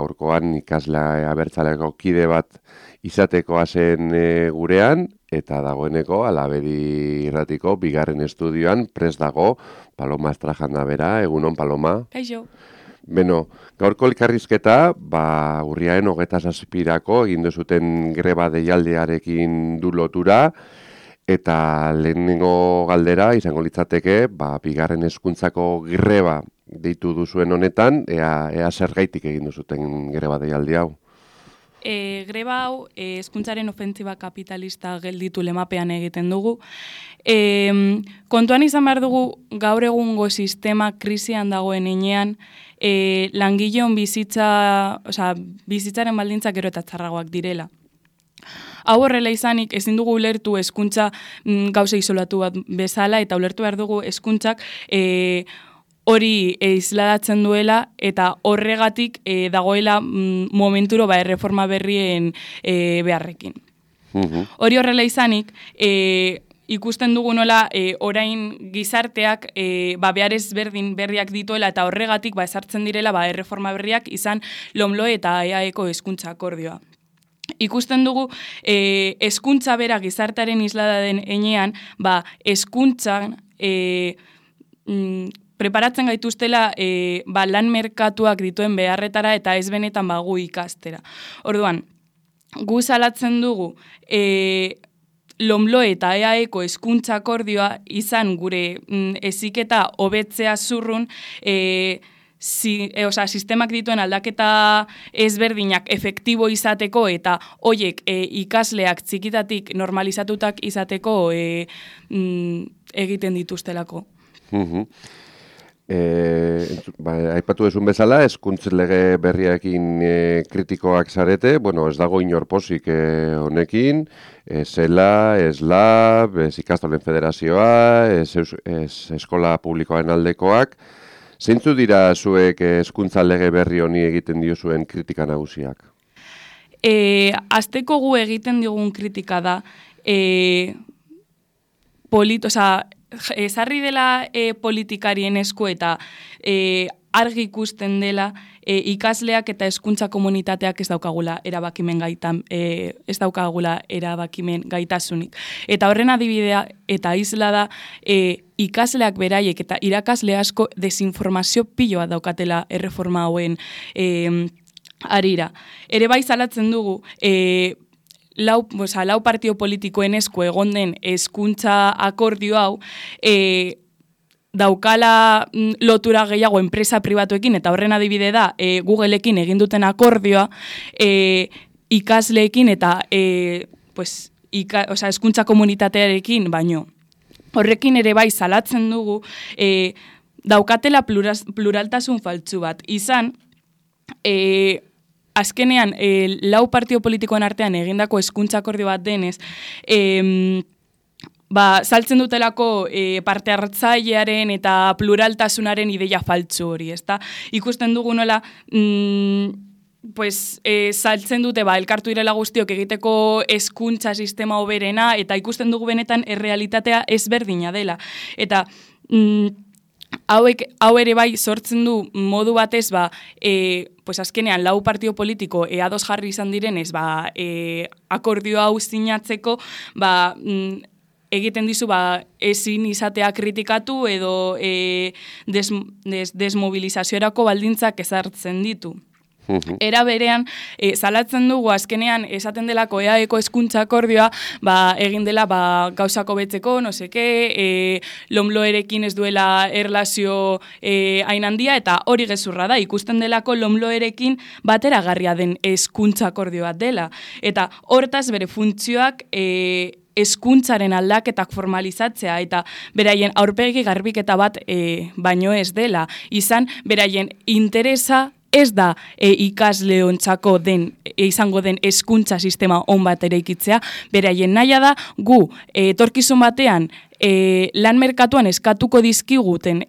gaurkoan ikaslea abertzaleko kide bat izatekoa zen gurean, eta dagoeneko Alabedi irratiko bigarren estudioan prest dago Paloma Estrajanda bera. Egunon, Paloma? Kaixo. Beno, gaurko elkarrizketa, urriaren 27-ako egin duzuten greba deialdiarekin du lotura, eta lehenengo galdera izango litzateke, bigarren hezkuntzako greba deitu duzuen honetan, ea zergaitik egin duzuten greba deialdi hau. Greba hau hezkuntzaren ofentziba kapitalista gelditu lemapean egiten dugu. Kontuan izan behar dugu gaur egungo sistema krisian dagoen heinean, langileon bizitzaren baldintzak gero eta txarragoak direla. Hau horrela izanik, ezin dugu ulertu hezkuntza gauza isolatu bat bezala, eta ulertu behar dugu hezkuntzak hori isladatzen duela, eta horregatik dagoela momenturo erreforma berrien beharrekin. Hori horrela izanik, ikusten dugu nola orain gizarteak behar ezberdin berriak dituela, eta horregatik ezartzen direla erreforma berriak izan LOMLOE eta EAEko hezkuntza akordioa. Ikusten dugu hezkuntza bera gizartearen islada den heinean, hezkuntzan preparatzen gaituztela lan merkatuak dituen beharretara eta ez benetan gu ikastera. Orduan, gu salatzen dugu LOMLOE eta EAEko hezkuntza akordioa izan gure heziketa hobetzea zurrun, sistemak dituen aldaketa ezberdinak efektibo izateko eta hoiek ikasleak txikitatik normalizatutak izateko egiten dituztelako. Aipatu ezun bezala, hezkuntz lege berriarekin kritikoak zarete, ez dago inor pozik honekin, zela, eslab, ikastolen federazioa, eskola publikoaren aldekoak. Zeintzu dira zuek hezkuntza lege berri honi egiten diozuen kritika nagusiak? Azteko gu egiten digun kritika da, ezarri dela politikarien esku eta argi ikusten dela ikasleak eta hezkuntza komunitateak ez daukagula erabakimen gaitasunik. Eta horren adibidea eta isla da ikasleak beraiek eta irakasle asko desinformazio piloa daukatela erreforma hauen arira. Ere bai salatzen dugu lau partio politikoen esku egon den hezkuntza akordio hau daukala lotura gehiago enpresa pribatuekin, eta horren adibide da Googleekin egin duten akordioa ikasleekin eta hezkuntza komunitatearekin baino. Horrekin ere bai salatzen dugu daukatela pluraltasun faltsu bat. Izan, azkenean, lau partio politikoen artean egindako hezkuntza akordio bat denez, saltzen dutelako parte hartzailearen eta pluraltasunaren ideia faltsu hori, ezta? Ikusten dugu nola, saltzen dute elkartu direla guztiok egiteko hezkuntza sistema hoberena, eta ikusten dugu benetan errealitatea ezberdina dela. Eta hau ere bai sortzen du modu batez, azkenean lau partio politiko ados jarri izan direnez, akordio hau sinatzeko, egiten dizu ezin izatea kritikatu edo desmobilizaziorako baldintzak ezartzen ditu. Era berean, salatzen dugu azkenean esaten delako EAEko hezkuntza akordioa egin dela gauzako betzeko, LOMLOErekin ez duela erlazio hain handia, eta hori gezurra da, ikusten delako LOMLOErekin bateragarria den hezkuntza akordioa dela. Eta hortaz bere funtzioak hezkuntzaren aldaketak formalizatzea eta beraien aurpegi garbiketa bat baino ez dela. Izan, beraien interesa ez da ikasleontzako izango den hezkuntza sistema on bat eraikitzea, beraien nahia da gu etorkizun batean lan merkatuan eskatuko dizkiguten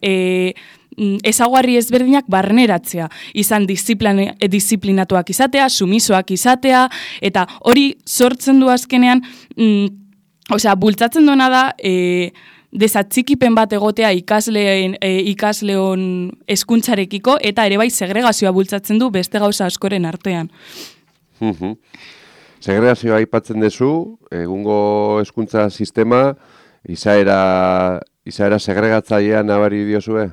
ezaugarri ezberdinak barneratzea, izan disiplinatuak izatea, sumisoak izatea, eta hori sortzen du azkenean, bultzatzen duena da desatxikipen bat egotea ikasleon hezkuntzarekiko eta ere bai segregazioa bultzatzen du beste gauza askoren artean. Segregazioa aipatzen duzu, egungo hezkuntza sistema izaera segregatzailea nabari diozue?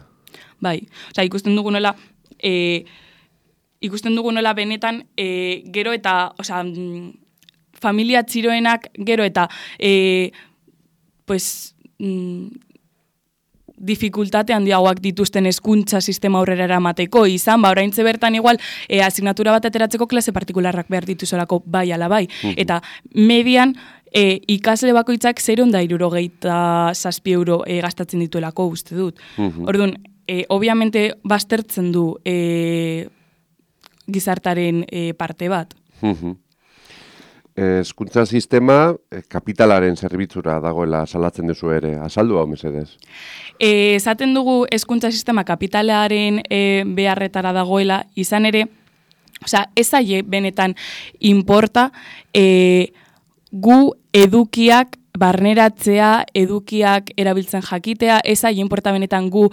Bai, ikusten dugu nola benetan gero eta, familia txiroenak gero eta dificultate handiagoak dituzten hezkuntza sistema aurrera eramateko izan, oraintze bertan igual asignatura bat ateratzeko klase partikularrak behar dituzolako bai ala bai. Eta median ikasle bakoitzak 0,67 euro gastatzen dituelako uste dut. Orduan, obviamente baztertzen du gizartaren parte bat. Hezkuntza sistema kapitalaren zerbitzura dagoela salatzen duzu ere. Azaldu hau mesedez. Esaten dugu hezkuntza sistema kapitalaren beharretara dagoela, izan ere, ez zaie benetan inporta gu edukiak barneratzea, edukiak erabiltzen jakitea, ez zaie inporta benetan gu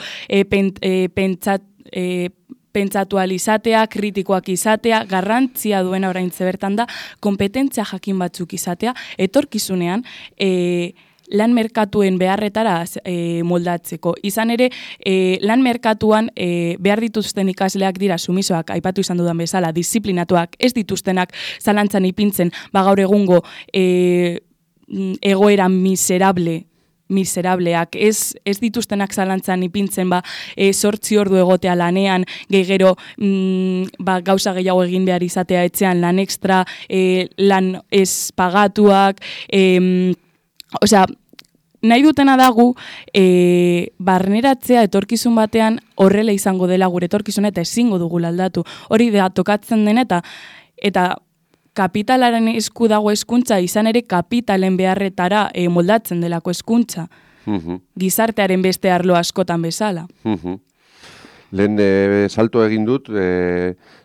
pentsatu izatea, kritikoak izatea, garrantzia duena oraintze bertan da, kompetentzia jakin batzuk izatea, etorkizunean lan merkatuen beharretara moldatzeko. Izan ere, lan merkatuan behar dituzten ikasleak dira sumisoak, aipatu izan dudan bezala, disiplinatuak, ez dituztenak zalantzan ipintzen, gaur egungo egoera miserableak, ez dituztenak zalantzan ipintzen 8 ordu egotea lanean, gero gauza gehiago egin behar izatea etxean, lan extra, lan ez pagatuak, nahi dutena dagu barneratzea etorkizun batean horrela izango dela gure etorkizuna eta ezingo dugu aldatu. Hori da tokatzen den eta kapitalaren esku dago hezkuntza, izan ere kapitalen beharretara moldatzen delako hezkuntza. Gizartearen beste arlo askotan bezala. Lehen salto egin dut,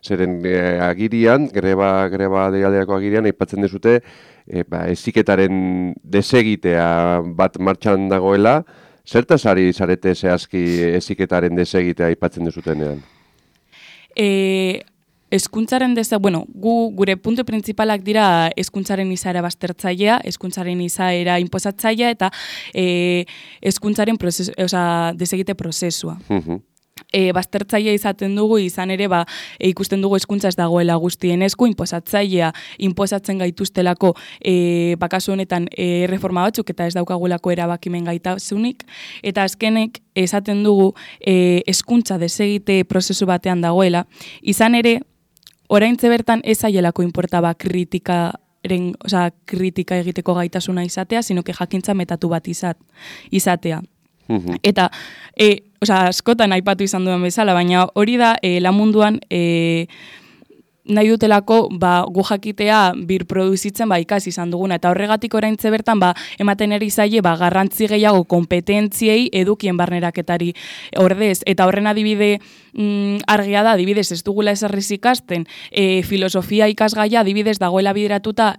zeren agirian, greba deialdeako agirian, aipatzen dezute, heziketaren desegitea bat martxan dagoela, zertaz ari zarete zehazki heziketaren desegitea aipatzen dezutenean? Hezkuntzaren gure puntu printzipalak dira hezkuntzaren izaera baztertzailea, hezkuntzaren izaera inposatzailea eta hezkuntzaren desegite prozesua. Baztertzailea izaten dugu, izan ere ikusten dugu hezkuntza ez dagoela guztien esku, inposatzailea inposatzen gaituztelako kasu honetan reforma batzuk eta ez daukagulako erabakimen gaitasunik, eta azkenek esaten dugu hezkuntza desegite prozesu batean dagoela, izan ere oraintze bertan ez zaielako inportaba kritika egiteko gaitasuna izatea, sino que jakintza metatu bat izatea. Eta, askotan aipatu izan duen bezala, baina hori da lan munduan nahi dutelako gu jakitea birproduzitzen ikasi izan duguna. Eta horregatik oraintze bertan ematen eri zaie garrantzi gehiago kompetentziei edukien barneraketari ordez. Eta horren adibide argia da, adibidez ez dugula esarriz ikasten, filosofia ikasgaia adibidez dagoela bideratuta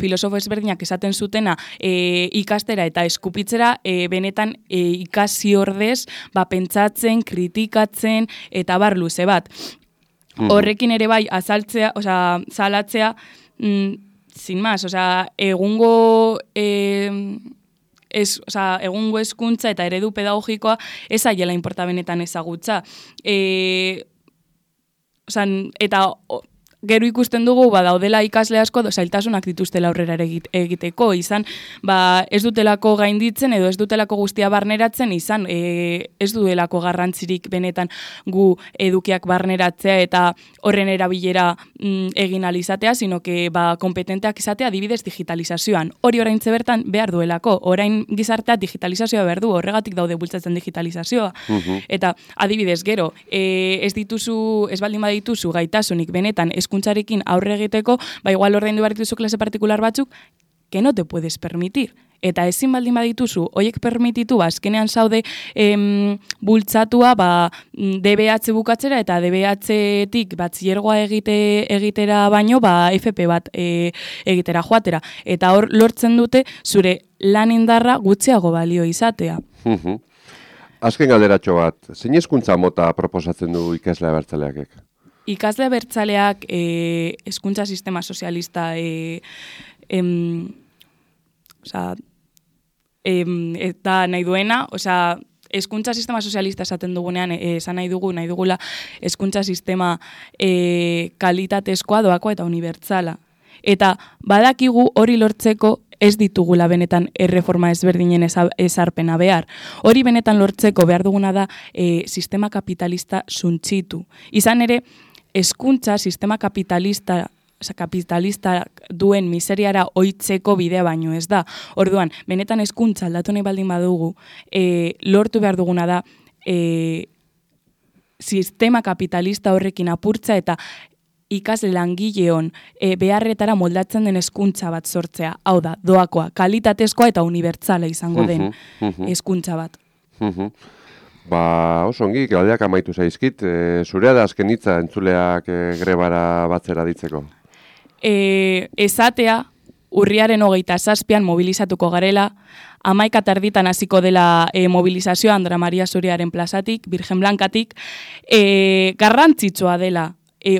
filosofo ezberdinak esaten zutena ikastera eta eskupitzera benetan ikasi ordez pentsatzen, kritikatzen eta bar luze bat. Horrekin ere bai azaltzea, salatzea, sin más, egungo hezkuntza eta eredu pedagogikoa ez aiela inporta benetan ezagutza. Eta gero ikusten dugu daudela ikasle asko zailtasunak dituztela aurrera egiteko, izan ez dutelako gainditzen edo ez dutelako guztia barneratzen, izan ez dutelako garrantzirik benetan gu edukiak barneratzea eta horren erabilera egin alizatea, sino que kompetenteak izatea adibidez digitalizazioan. Hori oraintze bertan behar duelako, orain gizartea digitalizazioa behar du, horregatik daude bultzatzen digitalizazioa. Eta adibidez gero, ez baldin badituzu gaitasunik benetan hezkuntzarekin aurre egiteko, igual ordaindu behar dituzu klase partikular batzuk, que no te puedes permitir. eta ezin baldin badituzu, hoiek permititu, azkenean zaude bultzatua, DBH bukatzera, eta DBH-tik batxillergoa egitera baino, FP bat egitera joatera. Eta hor lortzen dute, zure lan indarra gutxiago balio izatea. Azken galderatxo bat, zein hezkuntza mota proposatzen du ikasle abertzaleakek? Ikasle abertzaleak hezkuntza sistema sozialista eta nahi duena, hezkuntza sistema sozialista esaten dugunean, esan nahi dugula hezkuntza sistema kalitatezkoa, doakoa eta unibertsala. Eta badakigu hori lortzeko ez ditugula benetan erreforma ezberdinen ezarpena behar. Hori benetan lortzeko behar duguna da sistema kapitalista suntsitu. Izan ere, hezkuntza sistema kapitalista duen miseriara oitzeko bidea baino ez da. Orduan, benetan hezkuntza aldatu nahi baldin badugu, lortu behar duguna da sistema kapitalista horrekin apurtza eta ikasle langileon beharretara moldatzen den hezkuntza bat sortzea. Hau da, doakoa, kalitatezkoa eta unibertsala izango den hezkuntza bat. Oso ongi, galdeak amaitu zaizkit. Zurea da azken hitza entzuleak grebara batzera ditzeko? Esatea, urriaren 27an mobilizatuko garela, 11:30 hasiko dela mobilizazioa Andra Maria Zuriaren plazatik, Virgen Blankatik, garrantzitsua dela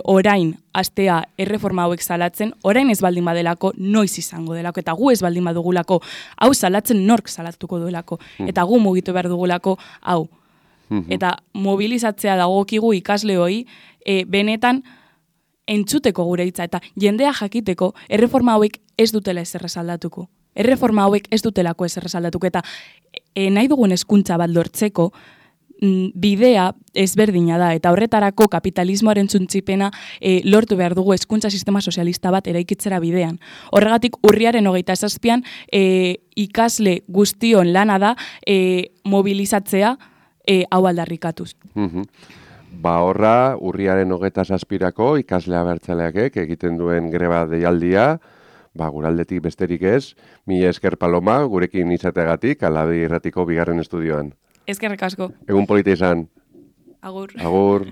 orain astea erreforma hauek salatzen, orain ez baldin badelako, noiz izango delako, eta gu ez baldin badugulako, hau salatzen nork salatuko duelako, eta gu mugitu behar dugulako, hau. Eta mobilizatzea dagokigu ikasleoi, benetan entzuteko gure hitza, eta jendea jakiteko, erreforma hauek ez dutela ezer aldatuko. Erreforma hauek ez dutelako ezer aldatuko, eta nahi dugun hezkuntza bat lortzeko, bidea ezberdina da, eta horretarako kapitalismoaren txuntzipena lortu behar dugu hezkuntza sistema sozialista bat eraikitzera bidean. Horregatik urriaren 27an ikasle guztion lana da mobilizatzea hau aldarrikatuz. Horra, urriaren 27ako ikasle abertzaleakek egiten duen greba deialdia, guraldetik besterik ez, mila esker Paloma, gurekin izateagatik, Alabe Irratiko 2. estudioan. Eskerrik asko. Egun polita izan. Agur. Agur.